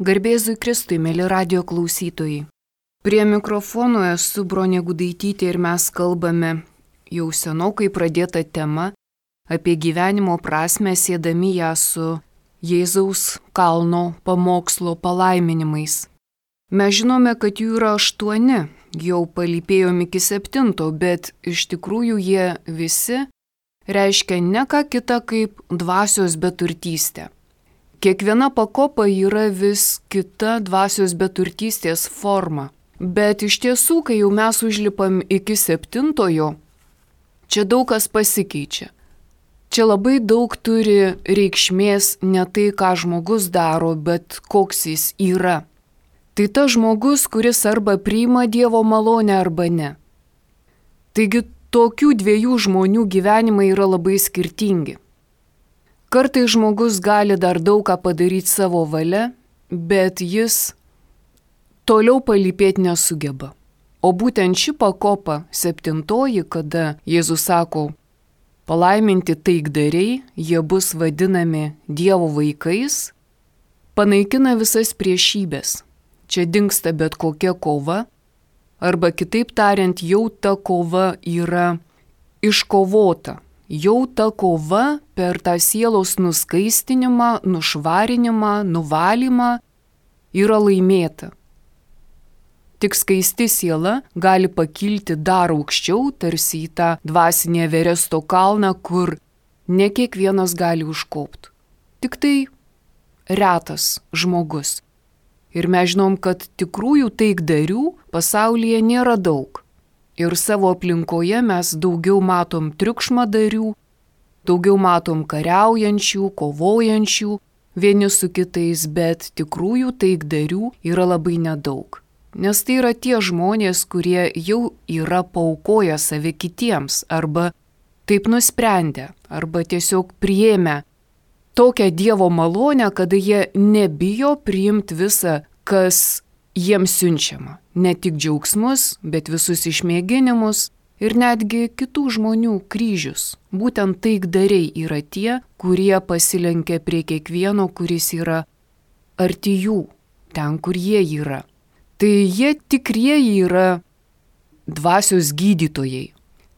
Garbėzui Kristui, mėly radio klausytojai. Prie mikrofono esu Bronė Gudaitytė ir mes kalbame jau senokai pradėtą temą apie gyvenimo prasmę, siedami ją su Jėzaus kalno pamokslo palaiminimais. Mes žinome, kad jų yra 8, jau palypėjom iki 7, bet iš tikrųjų jie visi reiškia ne ką kitą kaip dvasios beturtystę. Kiekviena pakopa yra vis kita dvasios beturtystės forma. Bet iš tiesų, kai jau mes užlipam iki 7, čia daug kas pasikeičia. Čia labai daug turi reikšmės ne tai, ką žmogus daro, bet koks jis yra. Tai tas žmogus, kuris arba priima Dievo malonę arba ne. Taigi tokių 2 žmonių gyvenimai yra labai skirtingi. Kartais žmogus gali dar daug ką padaryti savo valia, bet jis toliau palypėti nesugeba. O būtent ši pakopa 7, kada Jėzus sako, palaiminti taikdariai, jie bus vadinami Dievo vaikais, panaikina visas priešybės. Čia dingsta bet kokia kova, arba kitaip tariant, jau ta kova yra iškovota. Jau ta kova per tą sielos nuskaistinimą, nušvarinimą, nuvalymą yra laimėta. Tik skaisti siela gali pakilti dar aukščiau, tarsi į tą dvasinę Everesto kalną, kur ne kiekvienas gali užkopti. Tik tai retas žmogus. Ir mes žinom, kad tikrųjų taikdarių pasaulyje nėra daug. Ir savo aplinkoje mes daugiau matom triukšmadarių, daugiau matom kariaujančių, kovojančių vieni su kitais, bet tikrųjų taikdarių yra labai nedaug. Nes tai yra tie žmonės, kurie jau yra paaukoję save kitiems, arba taip nusprendę, arba tiesiog priėmę tokią Dievo malonę, kada jie nebijo priimti visą, kas jiems siunčiama. Ne tik džiaugsmus, bet visus išmėginimus ir netgi kitų žmonių kryžius. Būtent taikdariai yra tie, kurie pasilenkia prie kiekvieno, kuris yra arti jų, ten, kur jie yra. Tai jie tikrieji yra dvasios gydytojai.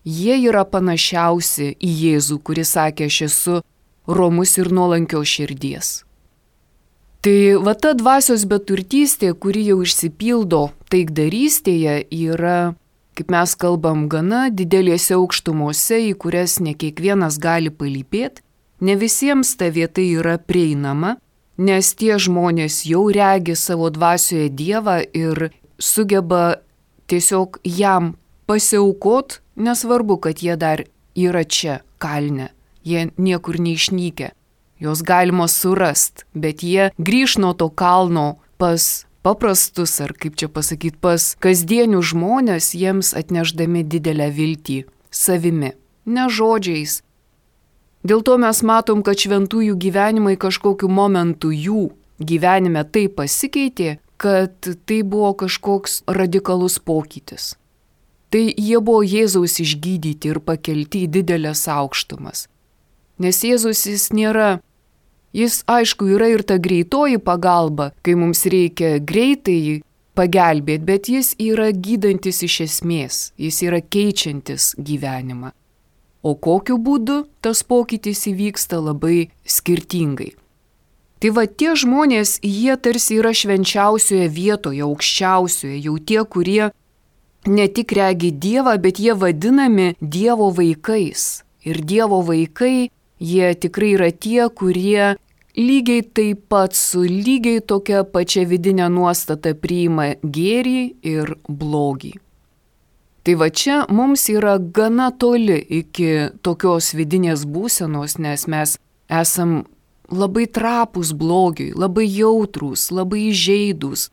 Jie yra panašiausi į Jėzų, kuris sakė, aš esu romus ir nuolankios širdies. Tai va ta dvasios beturtystė, kuri jau išsipildo taikdarystėje, yra, kaip mes kalbam, gana didelėse aukštumose, į kurias ne kiekvienas gali palypėti. Ne visiems ta vieta yra prieinama, nes tie žmonės jau regi savo dvasioje Dievą ir sugeba tiesiog jam pasiaukot, nesvarbu, kad jie dar yra čia kalne, jie niekur neišnykę. Jos galima surast, bet jie grįž nuo to kalno pas paprastus, ar kaip čia pasakyti, pas kasdienių žmonės, jiems atnešdami didelę viltį savimi, ne žodžiais. Dėl to mes matom, kad šventųjų gyvenimai kažkokiu momentu jų gyvenime taip pasikeitė, kad tai buvo kažkoks radikalus pokytis. Tai jie buvo Jėzaus išgydyti ir pakelti į didelės aukštumas. Nes Jėzus Jis, aišku, yra ir ta greitoji pagalba, kai mums reikia greitai pagelbėti, bet jis yra gydantis iš esmės, jis yra keičiantis gyvenimą. O kokiu būdu tas pokytis įvyksta labai skirtingai. Tai va tie žmonės, jie tarsi yra švenčiausioje vietoje, aukščiausioje, jau tie, kurie ne tik regi Dievą, bet jie vadinami Dievo vaikais. Ir Dievo vaikai, jie tikrai yra tie, kurie lygiai taip pat su lygiai tokia pačia vidinė nuostata priima gėrį ir blogį. Tai va čia mums yra gana toli iki tokios vidinės būsenos, nes mes esam labai trapūs blogiui, labai jautrūs, labai įžeidūs,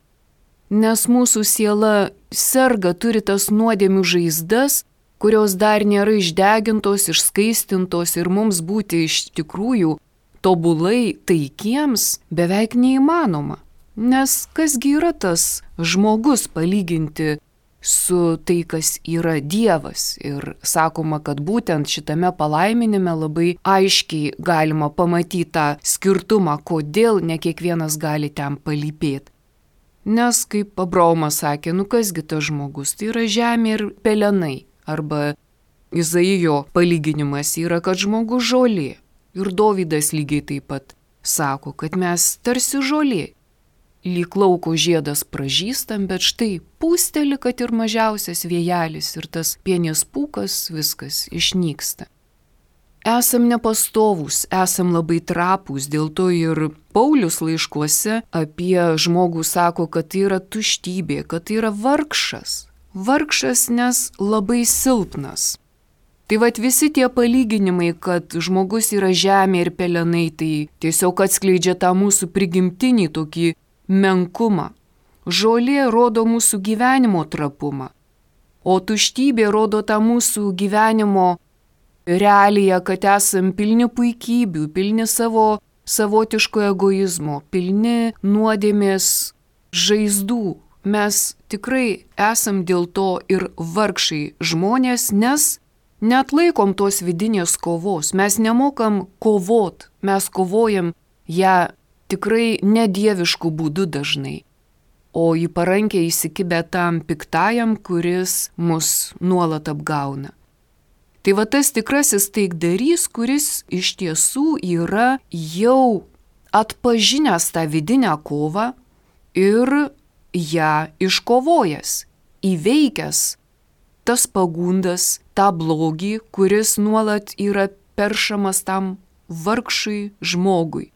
nes mūsų siela serga, turi tas nuodėmių žaizdas, kurios dar nėra išdegintos, išskaistintos ir mums būti iš tikrųjų tobulai taikiems beveik neįmanoma. Nes kasgi yra tas žmogus palyginti su tai, kas yra Dievas. Ir sakoma, kad būtent šitame palaiminime labai aiškiai galima pamatyti tą skirtumą, kodėl ne kiekvienas gali ten palypėti. Nes, kaip Abraomas sakė, kasgi tas žmogus, tai yra žemė ir pelenai. Arba Izaijo palyginimas yra, kad žmogus žolė. Ir Dovydas lygiai taip pat sako, kad mes tarsi žolė. Lyg lauko žiedas pražystam, bet štai pūsteli, kad ir mažiausias vėjelis ir tas pienės pūkas, viskas išnyksta. Esam nepastovūs, esam labai trapūs, dėl to ir Paulius laiškuose apie žmogų sako, kad tai yra tuštybė, kad tai yra vargšas. Vargšas, nes labai silpnas. Tai vat visi tie palyginimai, kad žmogus yra žemė ir pelenai, tai tiesiog atskleidžia tą mūsų prigimtinį tokį menkumą. Žolė rodo mūsų gyvenimo trapumą, o tuštybė rodo tą mūsų gyvenimo realiją, kad esam pilni puikybių, pilni savo savotiško egoizmo, pilni nuodėmės žaizdų. Mes tikrai esam dėl to ir vargšai žmonės, nes neatlaikom tos vidinės kovos. Mes nemokam kovot, mes kovojam ją tikrai nedieviškų būdų dažnai, o į parankę įsikibę tam piktajam, kuris mus nuolat apgauna. Tai va tas tikrasis taikdarys, kuris iš tiesų yra jau atpažinęs tą vidinę kovą ir ją iškovojęs, įveikęs tas pagundas, tą blogį, kuris nuolat yra peršamas tam vargšui žmogui.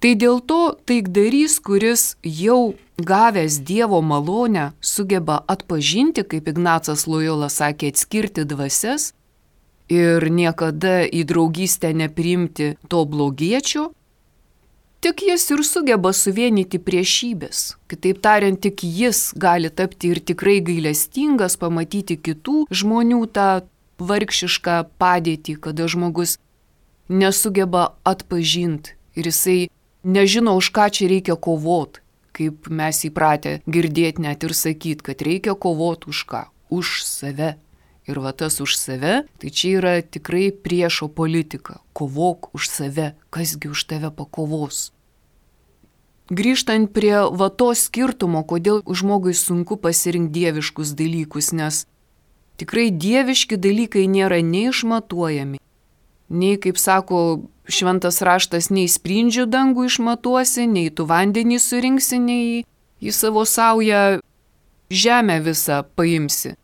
Tai dėl to taikdarys, kuris jau gavęs Dievo malonę, sugeba atpažinti, kaip Ignacas Lojola sakė, atskirti dvasias ir niekada į draugystę nepriimti to blogiečio, tik jis ir sugeba suvienyti priešybės. Kitaip tariant, tik jis gali tapti ir tikrai gailestingas, pamatyti kitų žmonių tą vargšišką padėtį, kada žmogus nesugeba atpažinti ir jisai nežino, už ką čia reikia kovot, kaip mes įpratę girdėti net ir sakyti, kad reikia kovot už ką? Už save. Ir va tas už save, tai čia yra tikrai priešo politika. Kovok už save, kasgi už tave pakovos. Grįžtant prie va to skirtumo, kodėl žmogui sunku pasirinkti dieviškus dalykus, nes tikrai dieviški dalykai nėra neišmatuojami. Nei, kaip sako šventas raštas, nei sprindžių dangų išmatuosi, nei tu vandenį surinksi, nei į savo saują žemę visą paimsi.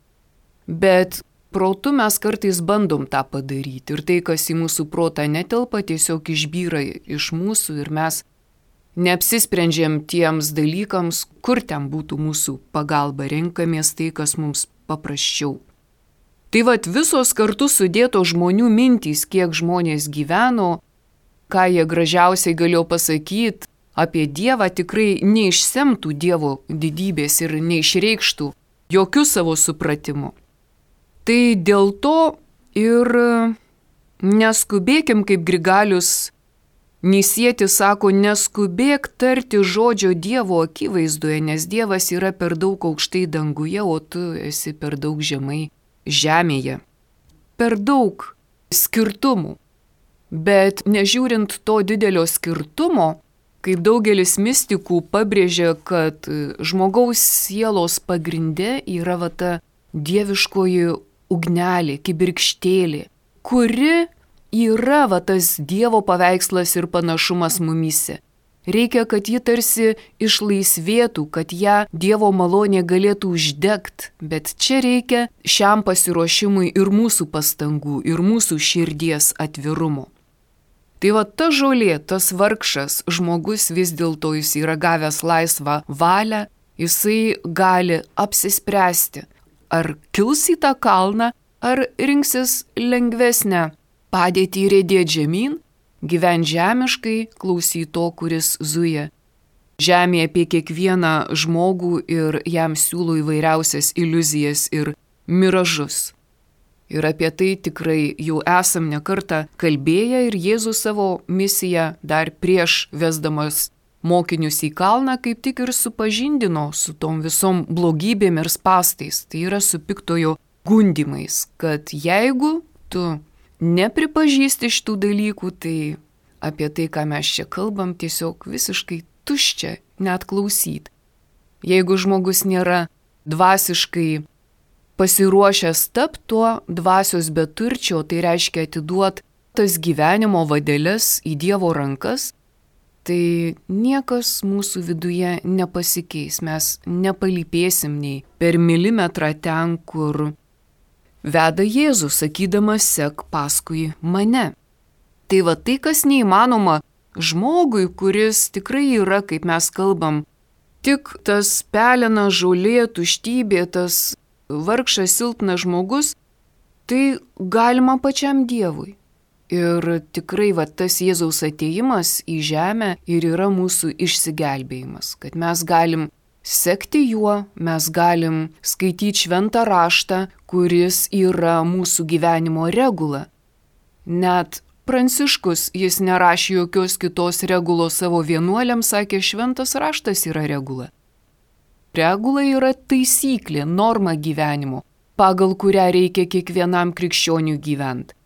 Bet protu mes kartais bandom tą padaryti ir tai, kas į mūsų protą netelpa, tiesiog išbyra iš mūsų ir mes neapsisprendžiam tiems dalykams, kur ten būtų mūsų pagalba, renkamės tai, kas mums paprasčiau. Tai vat visos kartu sudėto žmonių mintys, kiek žmonės gyveno, ką jie gražiausiai galėjo pasakyti apie Dievą, tikrai neišsemtų Dievo didybės ir neišreikštų jokių savo supratimų. Tai dėl to ir neskubėkim, kaip Grigalius Nisietis sako, neskubėk tarti žodžio Dievo akivaizdoje, nes Dievas yra per daug aukštai danguje, o tu esi per daug žemai žemėje. Per daug skirtumų. Bet nežiūrint to didelio skirtumo, kaip daugelis mistikų pabrėžia, kad žmogaus sielos pagrinde yra va ta dieviškoji ugnelė, kibirkštėlė, kuri yra va tas Dievo paveikslas ir panašumas mumyse. Reikia, kad ji tarsi išlaisvėtų, kad ją Dievo malonė galėtų uždegti, bet čia reikia šiam pasiruošimui ir mūsų pastangų, ir mūsų širdies atvirumo. Tai va ta žolė, tas vargšas žmogus vis dėlto jis yra gavęs laisvą valią, jisai gali apsispręsti, ar kils į tą kalną, ar rinksis lengvesnę padėtį riedėti žemyn, gyventi žemiškai, klausyti to, kuris zuja žemėje apie kiekvieną žmogų ir jam siūlo įvairiausias iliuzijas ir miražus. Ir apie tai tikrai jau esam ne kartą kalbėję ir Jėzus savo misiją dar prieš vesdamas mokinius į kalną, kaip tik ir supažindino su tom visom blogybėm ir spastais, tai yra su piktojo gundimais, kad jeigu tu nepripažįsti šitų dalykų, tai apie tai, ką mes čia kalbam, tiesiog visiškai tuščia net klausyt. Jeigu žmogus nėra dvasiškai pasiruošęs tapti tuo dvasios beturčio, tai reiškia atiduot tas gyvenimo vadeles į Dievo rankas, tai niekas mūsų viduje nepasikeis, mes nepalypėsim nei per milimetrą ten, kur veda Jėzus, sakydamas, sek paskui mane. Tai va tai, kas neįmanoma žmogui, kuris tikrai yra, kaip mes kalbam, tik tas pelena, žolė, tuštybė, tas vargšas, silpnas žmogus, tai galima pačiam Dievui. Ir tikrai va tas Jėzaus atėjimas į žemę ir yra mūsų išsigelbėjimas, kad mes galim sekti juo, mes galim skaityti šventą raštą, kuris yra mūsų gyvenimo regula. Net Pranciškus, jis nerašė jokios kitos regulos savo vienuoliams, sakė, šventas raštas yra regula. Regula yra taisyklė, norma gyvenimo, pagal kurią reikia kiekvienam krikščioniui gyventi.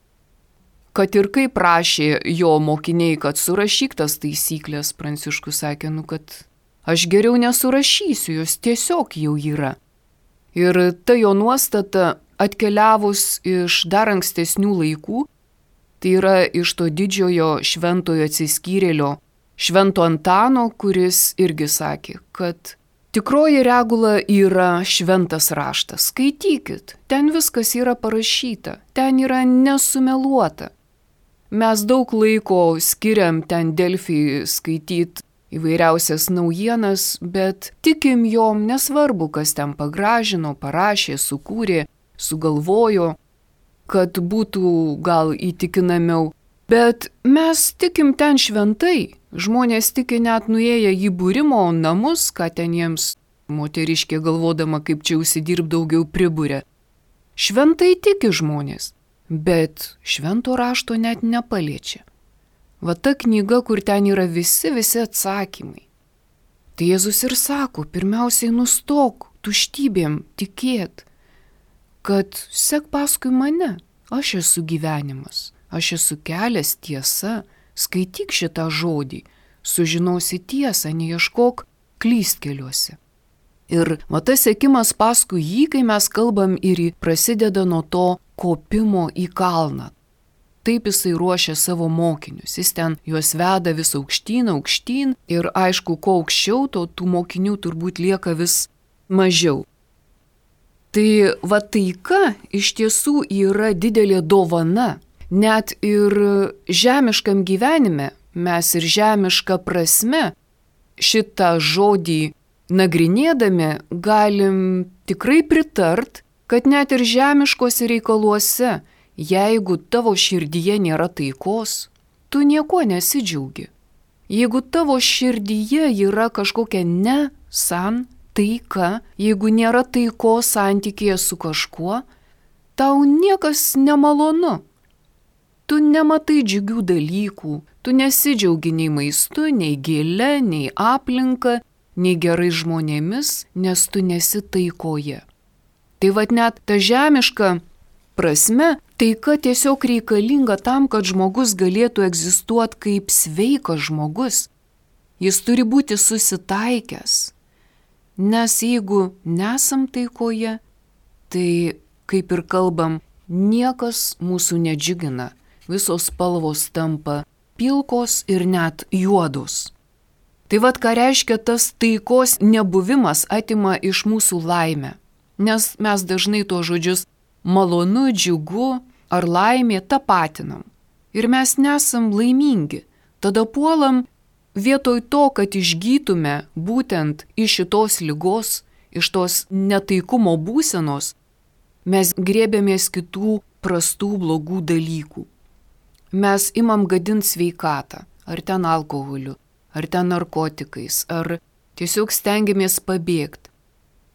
Kad ir kaip prašė jo mokiniai, kad surašyk tas taisyklės, Pranciškus sakė, kad aš geriau nesurašysiu, jos tiesiog jau yra. Ir ta jo nuostata atkeliavus iš dar ankstesnių laikų, tai yra iš to didžiojo šventojo atsiskyrėlio Švento Antano, kuris irgi sakė, kad tikroji regula yra šventas raštas. Skaitykit, ten viskas yra parašyta, ten yra nesumeluota. Mes daug laiko skiriam ten Delfį skaityti įvairiausias naujienas, bet tikim jom, nesvarbu, kas ten pagražino, parašė, sukūrė, sugalvojo, kad būtų gal įtikinamiau. Bet mes tikim ten šventai. Žmonės tiki net nuėję į būrimo namus, ką ten jiems moteriškė galvodama, kaip čia užsidirb daugiau priburia. Šventai tiki žmonės, bet švento rašto net nepaliečia. Va ta knyga, kur ten yra visi atsakymai. Tai Jėzus ir sako, pirmiausiai nustok tuštybėm tikėt, kad sek paskui mane, aš esu gyvenimas, aš esu kelias, tiesa, skaityk šitą žodį, sužinosi tiesą, neieškok klystkeliuose. Ir va tas sekimas paskui jį, kai mes kalbam, ir prasideda nuo to kopimo į kalną. Taip jisai ruošia savo mokinius, jis ten juos veda vis aukštyn ir aišku, kuo aukščiau, to tų mokinių turbūt lieka vis mažiau. Tai va taika iš tiesų yra didelė dovana. Net ir žemiškam gyvenime mes ir žemišką prasme šitą žodį nagrinėdami galim tikrai pritart, kad net ir žemiškose reikaluose, jeigu tavo širdyje nėra taikos, tu nieko nesidžiaugi. Jeigu tavo širdyje yra kažkokia taika, jeigu nėra taikos santykėje su kažkuo, tau niekas nemalonu. Tu nematai džiugių dalykų, tu nesidžiaugi nei maistu, nei gėle, nei aplinka, nei gerai žmonėmis, nes tu nesi taikoje. Tai vad net ta žemiška prasme, taika tiesiog reikalinga tam, kad žmogus galėtų egzistuoti kaip sveikas žmogus. Jis turi būti susitaikęs. Nes jeigu nesam taikoje, tai, kaip ir kalbam, niekas mūsų nedžiugina. Visos spalvos tampa pilkos ir net juodos. Tai vad ką reiškia tas taikos nebuvimas atima iš mūsų laimę. Nes mes dažnai tuos žodžius malonu, džiugu ar laimė tapatinam. Ir mes nesam laimingi. Tada puolam vietoj to, kad išgytume būtent iš šitos ligos, iš tos netaikumo būsenos, mes grėbėmės kitų prastų blogų dalykų. Mes imam gadinti sveikatą, ar ten alkoholiu, ar ten narkotikais, ar tiesiog stengiamės pabėgti.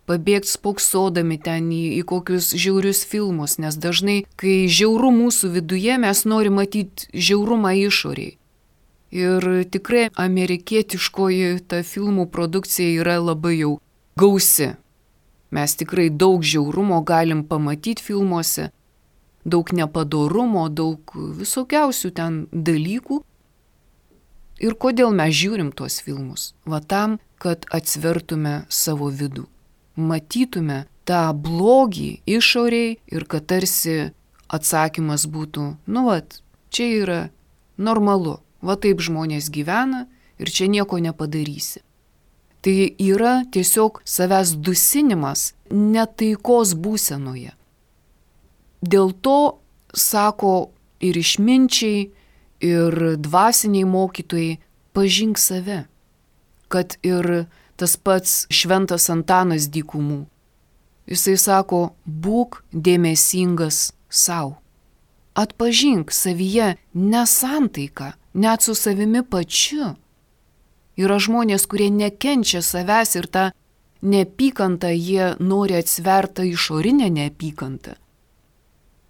Pabėgti spoksodami ten į kokius žiaurius filmus, nes dažnai, kai žiauru mūsų viduje, mes norim matyti žiaurumą išoriai. Ir tikrai amerikietiškoji ta filmų produkcija yra labai jau gausi. Mes tikrai daug žiaurumo galim pamatyti filmuose, daug nepadorumo, daug visokiausių ten dalykų. Ir kodėl mes žiūrim tuos filmus? Va tam, kad atsvertume savo vidų, matytume tą blogį išoriai ir kad tarsi atsakymas būtų, čia yra normalu. Va taip žmonės gyvena ir čia nieko nepadarysi. Tai yra tiesiog savęs dusinimas netaikos būsenoje. Dėl to, sako ir išminčiai, ir dvasiniai mokytojai, pažink save. Kad ir tas pats šventas Antanas Dykumų. Jisai sako, būk dėmesingas sau. Atpažink savyje nesantaiką, net su savimi pačiu. Yra žmonės, kurie nekenčia savęs ir tą neapykantą jie nori atsvertą išorinę neapykantą.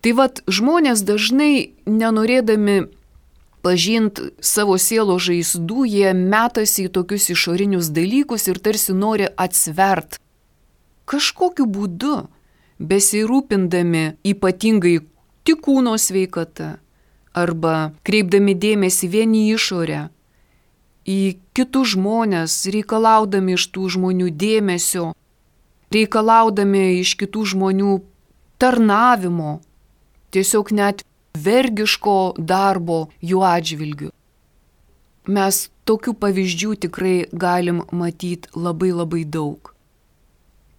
Tai žmonės dažnai nenorėdami pažinti savo sielos žaizdų, jie metasi į tokius išorinius dalykus ir tarsi nori atsvert. Kažkokiu būdu, besirūpindami ypatingai tik kūno sveikata arba kreipdami dėmesį vien į išorę, į kitus žmonės, reikalaudami iš tų žmonių dėmesio, reikalaudami iš kitų žmonių tarnavimo, tiesiog net vergiško darbo jų atžvilgiu. Mes tokių pavyzdžių tikrai galim matyti labai labai daug.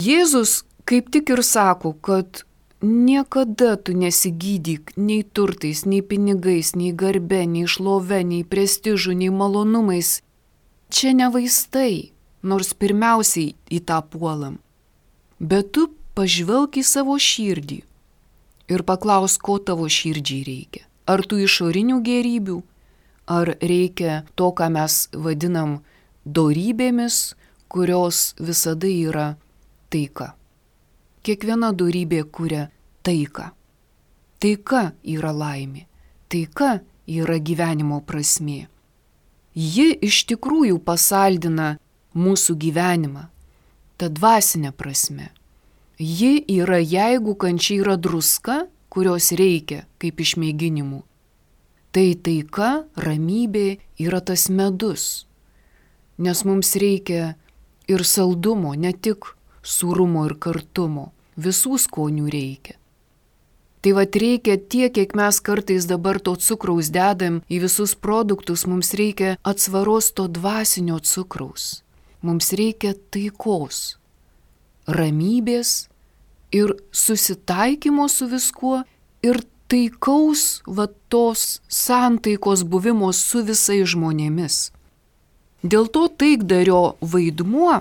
Jėzus kaip tik ir sako, kad niekada tu nesigydyk nei turtais, nei pinigais, nei garbe, nei šlove, nei prestižu, nei malonumais. Čia ne vaistai, nors pirmiausiai į tą puolam. Bet tu pažvelk į savo širdį ir paklaus, ko tavo širdžiai reikia. Ar tų išorinių gėrybių, ar reikia to, ką mes vadinam dorybėmis, kurios visada yra taika. Kiekviena dorybė kuria taiką. Taika yra laimė. Taika yra gyvenimo prasmė. Ji iš tikrųjų pasaldina mūsų gyvenimą, ta dvasinė prasme. Ji yra, jeigu kančia yra druska, kurios reikia kaip išmėginimų. Tai taika, ramybė yra tas medus. Nes mums reikia ir saldumo, ne tik sūrumo ir kartumo, visų skonių reikia. Tai reikia tiek, kiek mes kartais dabar to cukraus dedam į visus produktus, mums reikia atsvaros to dvasinio cukraus. Mums reikia taikos, ramybės ir susitaikymo su viskuo ir taikaus tos santaikos buvimo su visais žmonėmis. Dėl to taikdario vaidmuo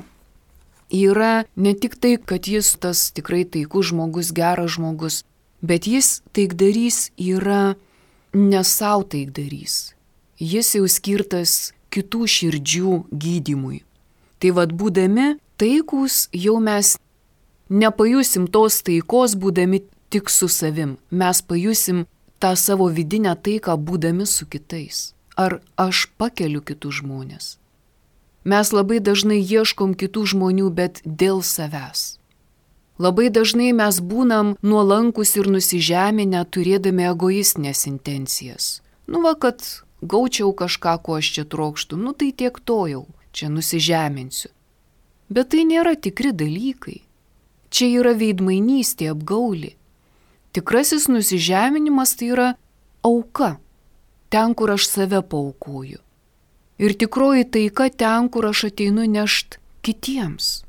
yra ne tik tai, kad jis tas tikrai taikus žmogus, geras žmogus, bet jis taikdarys yra ne savo taikdarys. Jis jau skirtas kitų širdžių gydymui. Tai būdami taikūs, jau mes nepajusim tos taikos būdami tik su savim. Mes pajusim tą savo vidinę taiką būdami su kitais. Ar aš pakeliu kitus žmonės? Mes labai dažnai ieškom kitų žmonių, bet dėl savęs. Labai dažnai mes būnam nuolankus ir nusižeminę, turėdami egoistinės intencijas. Kad gaučiau kažką, ko aš čia trokštų, tai tiek to jau, čia nusižeminsiu. Bet tai nėra tikri dalykai. Čia yra veidmainystė, apgaulė. Tikrasis nusižeminimas tai yra auka, ten, kur aš save paaukoju. Ir tikroji taika ten, kur aš ateinu nešt kitiems.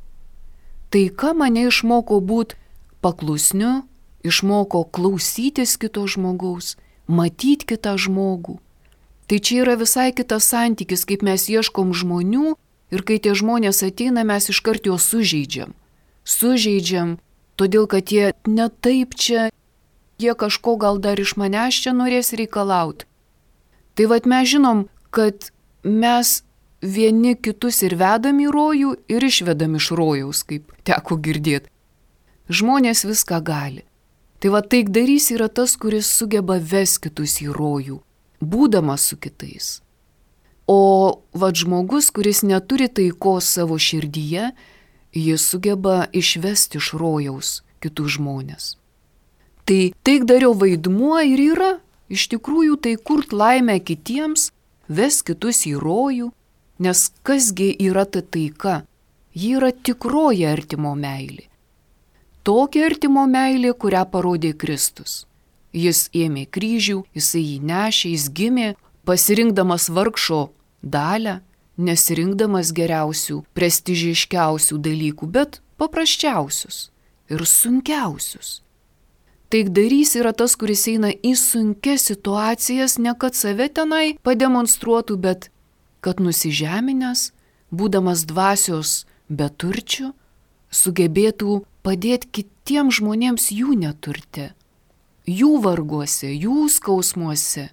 Taika mane išmoko būti paklusniu, išmoko klausytis kito žmogaus, matyti kitą žmogų. Tai čia yra visai kitas santykis, kaip mes ieškom žmonių ir kai tie žmonės ateina, mes iškart juos sužeidžiam. Sužeidžiam, todėl kad jie ne taip čia, jie kažko gal dar iš manęs čia norės reikalauti. Tai mes žinom, kad mes vieni kitus ir vedam į rojų ir išvedam iš rojaus, kaip teko girdėti. Žmonės viską gali. Tai taikdarys yra tas, kuris sugeba ves kitus į rojų, būdamas su kitais. O žmogus, kuris neturi taikos savo širdyje, jis sugeba išvesti iš rojaus kitus žmonės. Tai taikdario vaidmuo ir yra, iš tikrųjų, tai kurt laimę kitiems, ves kitus į rojų, nes kasgi yra ta taika? Ji yra tikroji artimo meilė. Tokia artimo meilė, kurią parodė Kristus. Jis ėmė kryžių, jisai jį nešė, jis gimė, pasirinkdamas vargšo dalią, nesirinkdamas geriausių, prestižiškiausių dalykų, bet paprasčiausius ir sunkiausius. Taikdarys yra tas, kuris eina į sunkias situacijas, ne kad save tenai pademonstruotų, bet kad nusižeminęs, būdamas dvasios beturčių, sugebėtų padėti kitiems žmonėms jų neturte, jų varguose, jų skausmuose.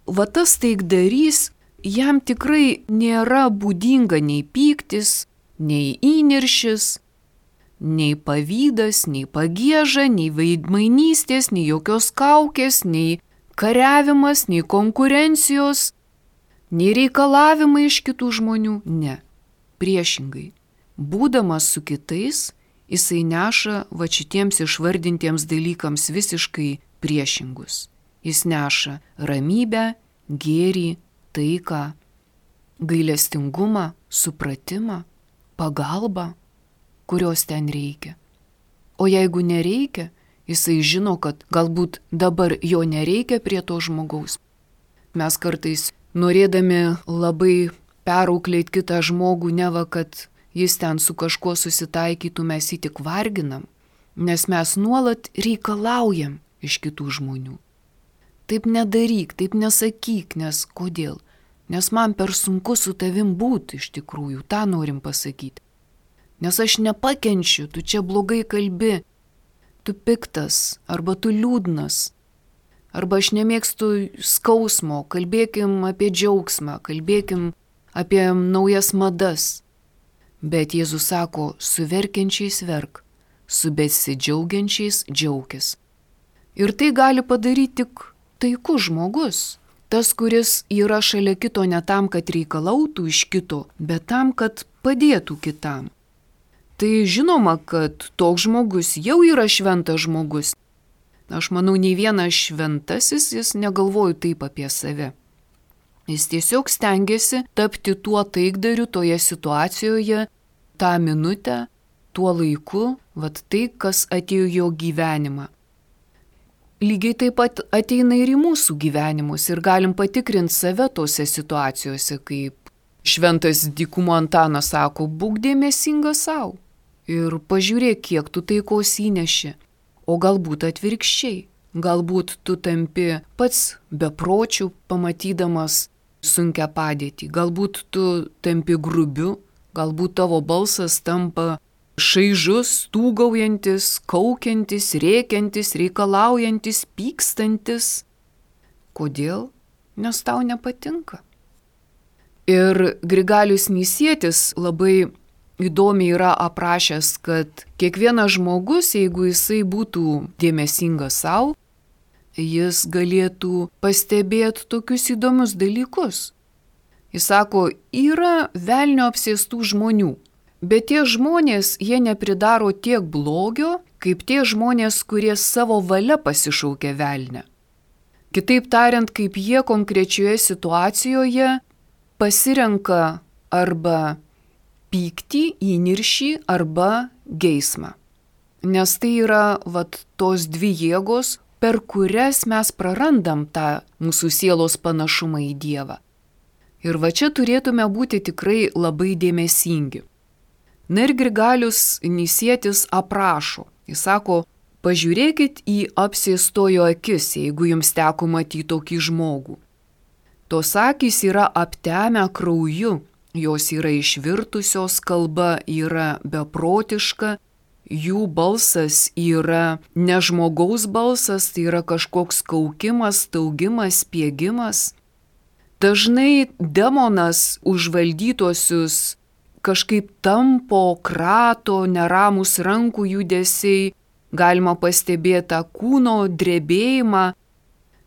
Tas taikdarys, jam tikrai nėra būdinga nei pyktis, nei įniršis, nei pavydas, nei pagieža, nei veidmainystės, nei jokios kaukės, nei kariavimas, nei konkurencijos, nei reikalavimai iš kitų žmonių. Ne, priešingai. Būdamas su kitais, jisai neša šitiems išvardintiems dalykams visiškai priešingus. Jis neša ramybę, gėrį, taiką, gailestingumą, supratimą, pagalbą, kurios ten reikia. O jeigu nereikia, jisai žino, kad galbūt dabar jo nereikia prie to žmogaus. Mes kartais, norėdami labai perauklėti kitą žmogų, neva kad jis ten su kažkuo susitaikytų, mes jį tik varginam, nes mes nuolat reikalaujam iš kitų žmonių. Taip nedaryk, taip nesakyk, nes kodėl? Nes man per sunku su tavim būti iš tikrųjų, tą norim pasakyti. Nes aš nepakenčiu, tu čia blogai kalbi, tu piktas, arba tu liūdnas, arba aš nemėgstu skausmo, kalbėkim apie džiaugsmą, kalbėkim apie naujas madas. Bet Jėzus sako, su verkiančiais verk, su besidžiaugiančiais džiaukis. Ir tai gali padaryti tik taikus žmogus. Tas, kuris yra šalia kito ne tam, kad reikalautų iš kito, bet tam, kad padėtų kitam. Tai žinoma, kad toks žmogus jau yra šventas žmogus. Aš manau, nei vienas šventasis jis negalvoja taip apie save. Jis tiesiog stengiasi tapti tuo taikdariu toje situacijoje, tą minutę, tuo laiku, tai, kas atėjo jo gyvenimą. Lygiai taip pat ateina ir į mūsų gyvenimus ir galim patikrinti save tose situacijose, kaip šventas dykumo Antanas sako, būk dėmesingas savo ir pažiūrėk, kiek tu taikos įneši. O galbūt atvirkščiai, galbūt tu tampi pats bepročių, pamatydamas sunkią padėtį, galbūt tu tampi grubiu, galbūt tavo balsas tampa šaižus, stūgaujantis, kaukiantis, rėkiantis, reikalaujantis, pykstantis. Kodėl? Nes tau nepatinka. Ir Grigalius Nisietis labai įdomiai yra aprašęs, kad kiekvienas žmogus, jeigu jisai būtų dėmesingas savo, jis galėtų pastebėti tokius įdomius dalykus. Jis sako, yra velnio apsėstų žmonių, bet tie žmonės, jie nepridaro tiek blogio, kaip tie žmonės, kurie savo valia pasišaukia velnę. Kitaip tariant, kaip jie konkrečioje situacijoje pasirenka arba pyktį, įniršį arba geismą. Nes tai yra tos dvi jėgos, per kurias mes prarandam tą mūsų sielos panašumą į Dievą. Ir čia turėtume būti tikrai labai dėmesingi. Na ir Grigalius Nisietis aprašo. Jis sako, pažiūrėkit į apsėstojo akis, jeigu jums teko matyti tokį žmogų. Tos akys yra aptemę krauju, jos yra išvirtusios, kalba yra beprotiška, jų balsas yra ne žmogaus balsas, tai yra kažkoks kaukimas, staugimas, spiegimas. Dažnai demonas užvaldytosius kažkaip tampo, krato, neramus rankų judesiai, galima pastebėti tą kūno drebėjimą,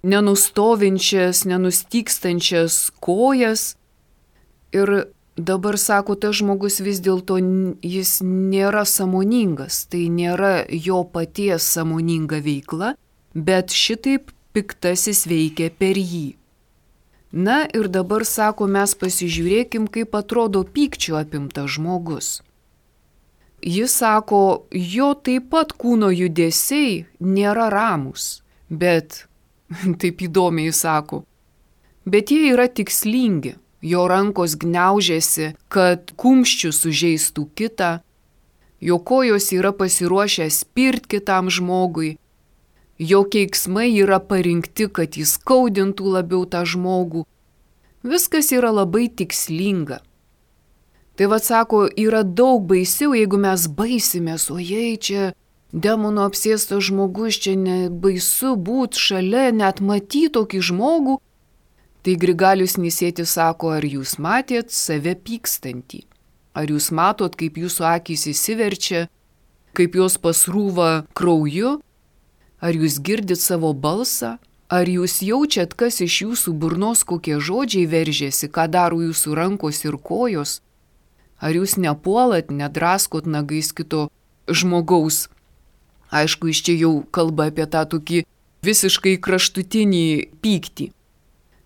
nenustovinčias, nenustykstančias kojas, Ir dabar sako, tas žmogus vis dėlto jis nėra sąmoningas, tai nėra jo paties sąmoninga veikla, bet šitaip piktasis veikia per jį. Na ir dabar sako, mes pasižiūrėkim, kaip atrodo pykčio apimtas žmogus. Jis sako, jo taip pat kūno judesiai nėra ramus, bet, taip įdomiai sako, bet jie yra tikslingi. Jo rankos gniaužiasi, kad kumščių sužeistų kitą, jo kojos yra pasiruošę spirt kitam žmogui, jo keiksmai yra parinkti, kad jis skaudintų labiau tą žmogų. Viskas yra labai tikslinga. Tai vad sako, yra daug baisiau, jeigu mes baisimės, ojei, čia demono apsėstas žmogus, čia nebaisu būt šalia, net matyti tokį žmogų. Tai Grigalius Nisėtis sako, ar jūs matėt save pykstantį? Ar jūs matot, kaip jūsų akys įsiverčia, kaip jos pasrūva krauju? Ar jūs girdit savo balsą? Ar jūs jaučiat, kas iš jūsų burnos kokie žodžiai veržėsi, ką daro jūsų rankos ir kojos? Ar jūs nepuolat, nedraskot nagais kito žmogaus? Aišku, iš čia jau kalba apie tą tokį visiškai kraštutinį pyktį.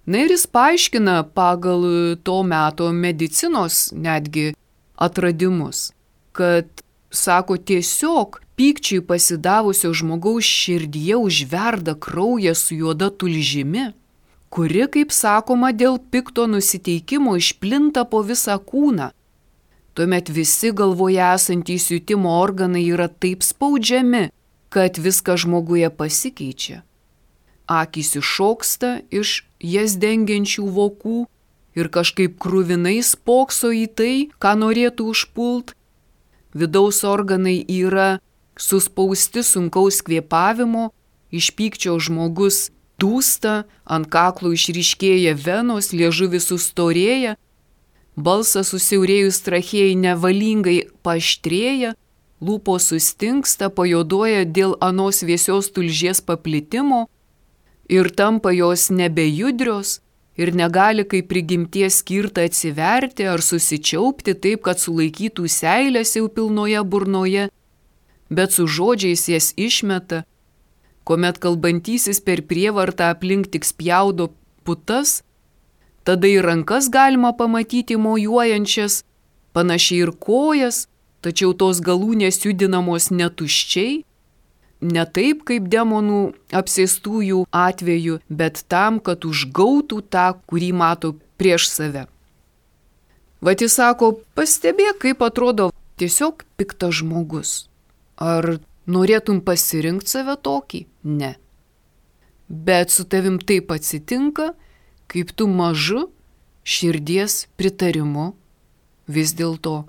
Na ir jis paaiškina pagal to meto medicinos netgi atradimus, kad, sako, tiesiog pykčiui pasidavusio žmogaus širdyje užverda kraujas su juoda tulžimi, kuri, kaip sakoma, dėl pikto nusiteikimo išplinta po visą kūną. Tuomet visi galvoje esantys jutimo organai yra taip spaudžiami, kad viskas žmoguje pasikeičia. Akys iššoksta iš jas dengiančių vokų ir kažkaip kruvinai spokso į tai, ką norėtų užpult. Vidaus organai yra suspausti sunkaus kvėpavimo, iš pykčio žmogus dūsta, ant kaklo išryškėja venos, liežuvis sustorėja, balsas susiaurėjus trachėjai nevalingai paaštrėja, lūpos sustingsta, pajuoduoja dėl anos vėsios tulžies paplitimo, ir tampa jos nebejudrios ir negali kaip prigimties skirta atsiverti ar susičiaupti taip, kad sulaikytų seilės jau pilnoje burnoje, bet su žodžiais jas išmeta, kuomet kalbantysis per prievartą aplink tik spjaudo putas, tada ir rankas galima pamatyti mojuojančias, panašiai ir kojas, tačiau tos galūnės judinamos netuščiai, ne taip kaip demonų apsėstųjų atveju, bet tam, kad užgautų tą, kurį mato prieš save. Vat jis sako, pastebėk, kaip atrodo tiesiog piktas žmogus. Ar norėtum pasirinkti save tokį? Ne. Bet su tavim taip atsitinka, kaip tu mažu širdies pritarimu vis dėlto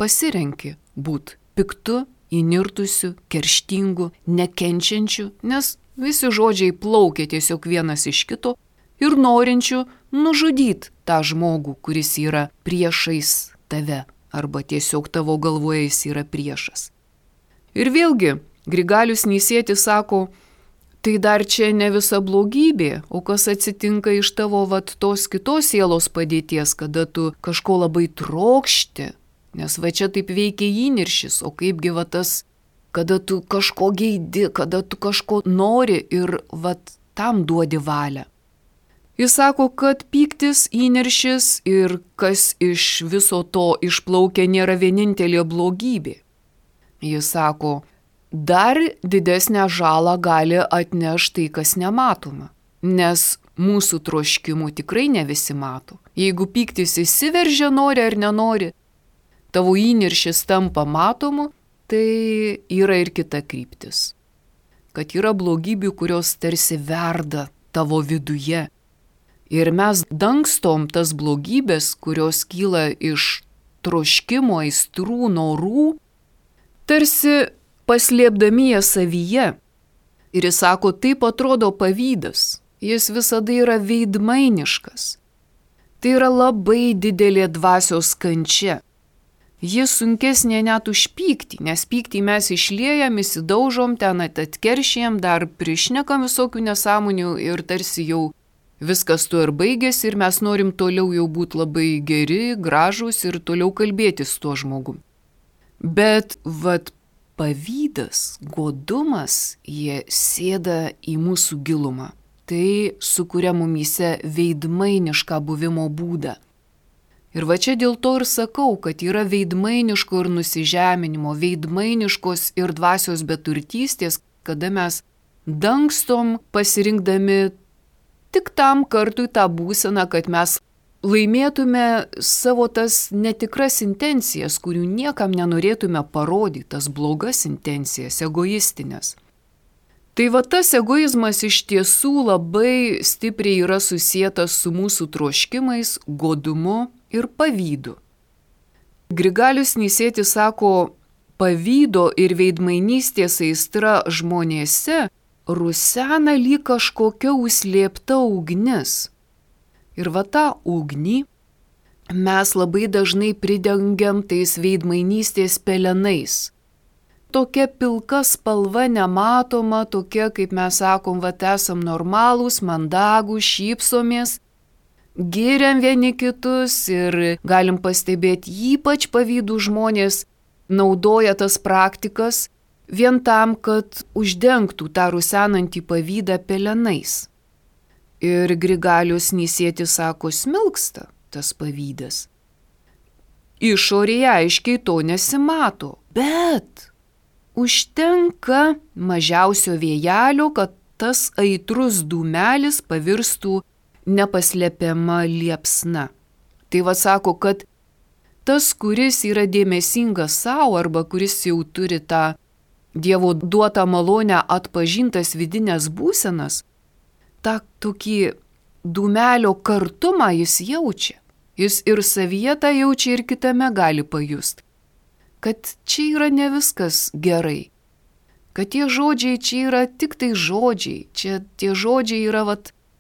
pasirenki būt piktu, įnirtusių, kerštingų, nekenčiančių, nes visi žodžiai plaukia tiesiog vienas iš kito ir norinčių nužudyti tą žmogų, kuris yra priešais tave arba tiesiog tavo galvoje jis yra priešas. Ir vėlgi, Grigalius Nisėtis sako, tai dar čia ne visa blogybė, o kas atsitinka iš tavo tos kitos sielos padėties, kada tu kažko labai trokšti. Nes va čia taip veikia įniršis, o kaipgi va tas, kada tu kažko geidi, kada tu kažko nori ir va tam duodi valią. Jis sako, kad pyktis, įniršis ir kas iš viso to išplaukia nėra vienintelė blogybė. Jis sako, dar didesnę žalą gali atnešti tai, kas nematoma, nes mūsų troškimų tikrai ne visi mato. Jeigu pyktis įsiveržia, nori ar nenori, tavo įniršis tampa matomu, tai yra ir kita kryptis. Kad yra blogybių, kurios tarsi verda tavo viduje. Ir mes dangstom tas blogybės, kurios kyla iš troškimo, aistrų, norų, tarsi paslėpdami jas savyje. Ir jis sako, taip atrodo pavydas. Jis visada yra veidmainiškas. Tai yra labai didelė dvasios kančia. Jis sunkesnė net už pyktį, nes pyktį mes išliejam, įsidaužom, ten atkeršėjam, dar prišnekam visokių nesąmonių ir tarsi jau viskas tuo ir baigėsi ir mes norim toliau jau būti labai geri, gražūs ir toliau kalbėtis su tuo žmogum. Bet pavydas, godumas, jie sėda į mūsų gilumą. Tai sukuria mumyse veidmainišką buvimo būdą. Ir čia dėl to ir sakau, kad yra veidmainiško ir nusižeminimo, veidmainiškos ir dvasios beturtystės, kada mes dangstom pasirinkdami tik tam kartui tą būseną, kad mes laimėtume savo tas netikras intencijas, kurių niekam nenorėtume parodyti, tas blogas intencijas, egoistinės. Tai tas egoizmas iš tiesų labai stipriai yra susietas su mūsų troškimais, godumu ir pavydu. Grigalius Nisėtis sako, pavydo ir veidmainystės aistra žmonėse rusena lyg kažkokia užslėpta ugnis. Ir tą ugnį mes labai dažnai pridengiam tais veidmainystės pelenais. Tokia pilka spalva nematoma, tokia, kaip mes sakom, esam normalūs, mandagūs, šypsomės, giriam vieni kitus ir galim pastebėti, ypač pavydų žmonės naudoja tas praktikas vien tam, kad uždengtų tą rusenantį pavydą pelenais. Ir Grigalius Nisėtis sako, smilksta tas pavydas. Išorėje aiškiai to nesimato, bet užtenka mažiausio vėjelio, kad tas aitrus dūmelis pavirstų nepaslepiama liepsna. Tai sako, kad tas, kuris yra dėmesingas savo arba kuris jau turi tą Dievo duotą malonę atpažintas vidinės būsenas, tą tokį dūmelio kartumą jis jaučia. Jis ir savyje tą jaučia ir kitame gali pajusti. Kad čia yra ne viskas gerai, kad tie žodžiai čia yra tik tai žodžiai, čia tie žodžiai yra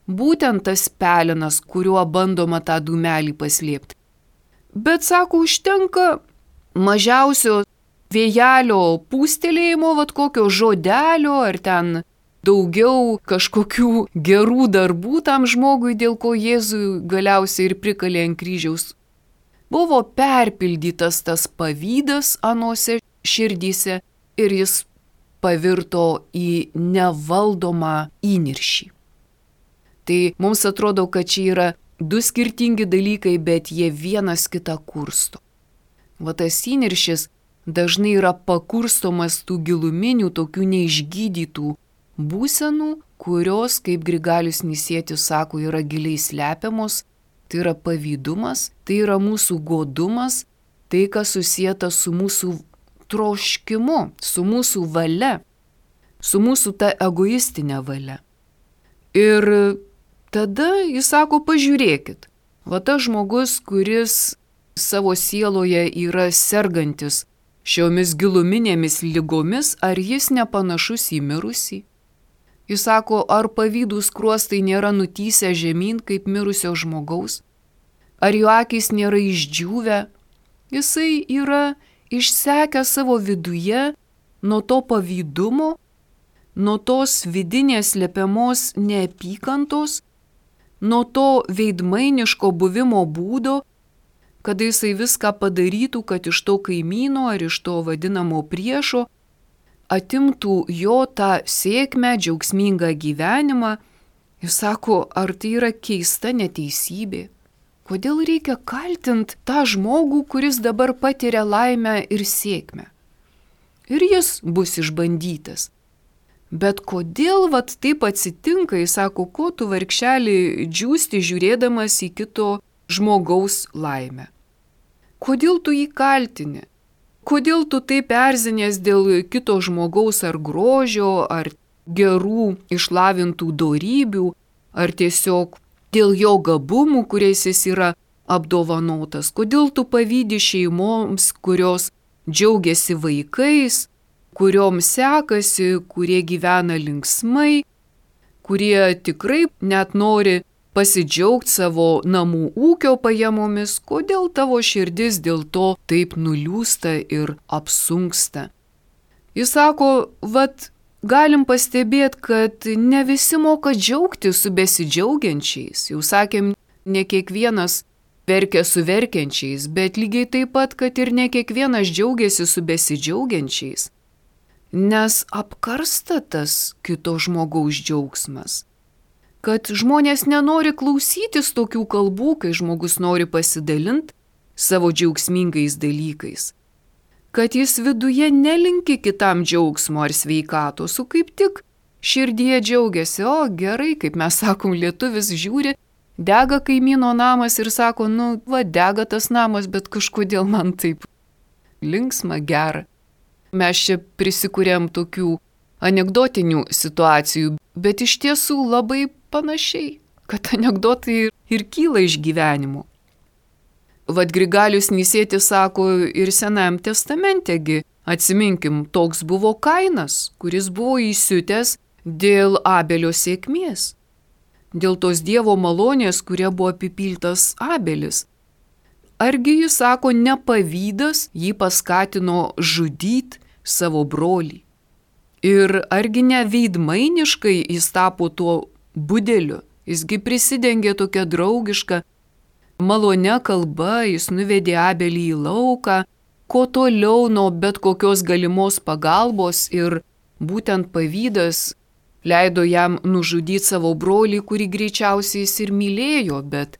būtent tas pelenas, kuriuo bandoma tą dūmelį paslėpti. Bet sako, užtenka mažiausio vėjelio pūstelėjimo, kokio žodelio ar ten daugiau kažkokių gerų darbų tam žmogui, dėl ko Jėzui galiausiai ir prikalė ant kryžiaus. Buvo perpildytas tas pavydas anose širdyse ir jis pavirto į nevaldomą įniršį. Tai mums atrodo, kad čia yra du skirtingi dalykai, bet jie vienas kitą kursto. Tas įniršis dažnai yra pakurstomas tų giluminių, tokių neišgydytų būsenų, kurios, kaip Grigalius Nisėtis sako, yra giliai slepiamos. Tai yra pavydumas, tai yra mūsų godumas, tai kas susieta su mūsų troškimu, su mūsų valia, su mūsų ta egoistinė valia. Ir tada jis sako, pažiūrėkit, tas žmogus, kuris savo sieloje yra sergantis šiomis giluminėmis ligomis, ar jis nepanašus į mirusį? Jis sako, ar pavydūs skruostai nėra nutįsę žemyn kaip mirusio žmogaus? Ar jo akys nėra išdžiūvę? Jisai yra išsekęs savo viduje nuo to pavydumo, nuo tos vidinės slepiamos neapykantos, nuo to veidmainiško buvimo būdo, kada jisai viską padarytų, kad iš to kaimyno ar iš to vadinamo priešo atimtų jo tą sėkmę, džiaugsmingą gyvenimą. Jis sako, ar tai yra keista neteisybė? Kodėl reikia kaltinti tą žmogų, kuris dabar patiria laimę ir sėkmę? Ir jis bus išbandytas. Bet kodėl taip atsitinka, jis sako, ko tu vargšelį džiūsti žiūrėdamas į kito žmogaus laimę? Kodėl tu jį kaltini? Kodėl tu taip erzinės dėl kito žmogaus ar grožio, ar gerų išlavintų dorybių, ar tiesiog dėl jo gabumų, kuriais jis yra apdovanotas? Kodėl tu pavydi šeimoms, kurios džiaugiasi vaikais, kuriom sekasi, kurie gyvena linksmai, kurie tikrai net nori pasidžiaugti savo namų ūkio pajamomis? Kodėl tavo širdis dėl to taip nuliūsta ir apsunksta? Jis sako, galim pastebėti, kad ne visi moka džiaugtis su besidžiaugiančiais. Jau sakėm, ne kiekvienas verkia su verkiančiais, bet lygiai taip pat, kad ir ne kiekvienas džiaugiasi su besidžiaugiančiais. Nes apkarsta tas kito žmogaus džiaugsmas. Kad žmonės nenori klausytis tokių kalbų, kai žmogus nori pasidalinti savo džiaugsmingais dalykais. Kad jis viduje nelinki kitam džiaugsmo ar sveikatos, o kaip tik širdie džiaugiasi. O gerai, kaip mes sakom, lietuvis žiūri, dega kaimyno namas ir sako, dega tas namas, bet kažkodėl man taip linksma, gera. Mes čia prisikūrėm tokių anekdotinių situacijų, bet iš tiesų labai panašiai, kad anekdotai ir kyla iš gyvenimo. Vat Grigalius Nisėtis sako ir Senajam testamentegi, atsiminkim, toks buvo Kainas, kuris buvo įsiutęs dėl Abelio sėkmės, dėl tos Dievo malonės, kuria buvo apipiltas Abelis. Argi jis sako, ne pavydas jį paskatino žudyti savo brolį. Ir argi ne veidmainiškai jis tapo tuo budeliu, jisgi prisidengė tokia draugiška, malonia kalba, jis nuvedė Abelį į lauką, kuo toliau nuo bet kokios galimos pagalbos ir būtent pavydas leido jam nužudyti savo brolį, kurį greičiausiai jis ir mylėjo, bet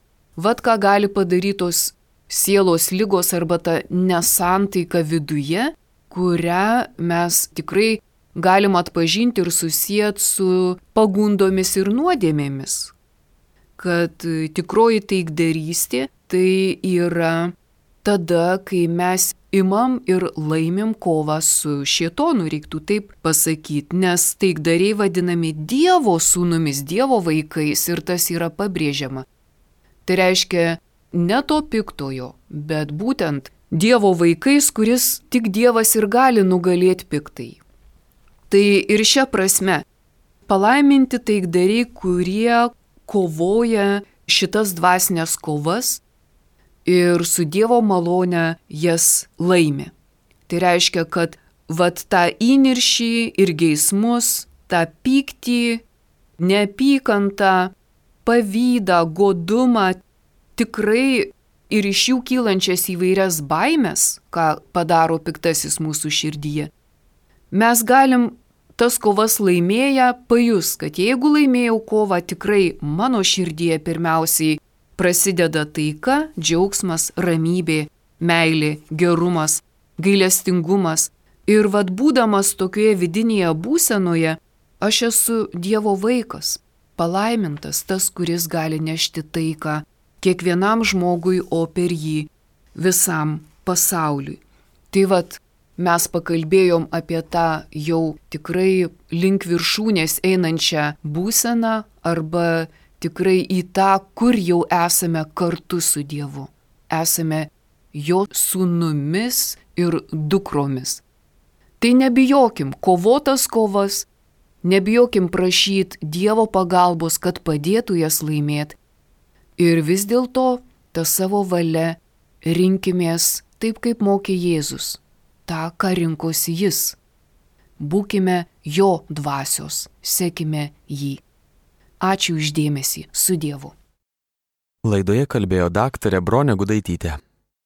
ką gali padaryti tos sielos ligos arba ta nesantaika viduje, kurią mes tikrai galim atpažinti ir susijęti su pagundomis ir nuodėmėmis. Kad tikroji taikdarystė tai yra tada, kai mes imam ir laimim kovą su šėtonu, reiktų taip pasakyti, nes taikdariai vadinami Dievo sūnumis, Dievo vaikais ir tas yra pabrėžiama. Tai reiškia ne to piktojo, bet būtent Dievo vaikais, kuris tik Dievas ir gali nugalėti piktai. Tai ir šia prasme palaiminti taikdariai, kurie kovoja šitas dvasinės kovas ir su Dievo malone jas laimi. Tai reiškia, kad tą įniršį ir geismus, tą pyktį, neapykantą, pavydą, godumą, tikrai ir iš jų kylančias įvairias baimes, ką padaro piktasis mūsų širdyje, mes galim tas kovas laimėję pajus, kad jeigu laimėjau kovą, tikrai mano širdyje pirmiausiai prasideda taika, džiaugsmas, ramybė, meilė, gerumas, gailestingumas. Ir būdamas tokioje vidinėje būsenoje, aš esu Dievo vaikas, palaimintas tas, kuris gali nešti taiką kiekvienam žmogui, o per jį visam pasauliui. Tai mes pakalbėjom apie tą jau tikrai link viršūnės einančią būseną arba tikrai į tą, kur jau esame kartu su Dievu. Esame jo sūnumis ir dukromis. Tai nebijokim kovotas kovas, nebijokim prašyti Dievo pagalbos, kad padėtų jas laimėti. Ir vis dėlto tą savo valia rinkimės taip, kaip mokė Jėzus. tą, ką rinkosi jis. Būkime jo dvasios, sekime jį. Ačiū už dėmesį, su Dievu. Laidoje kalbėjo daktarė Bronė Gudaitytė.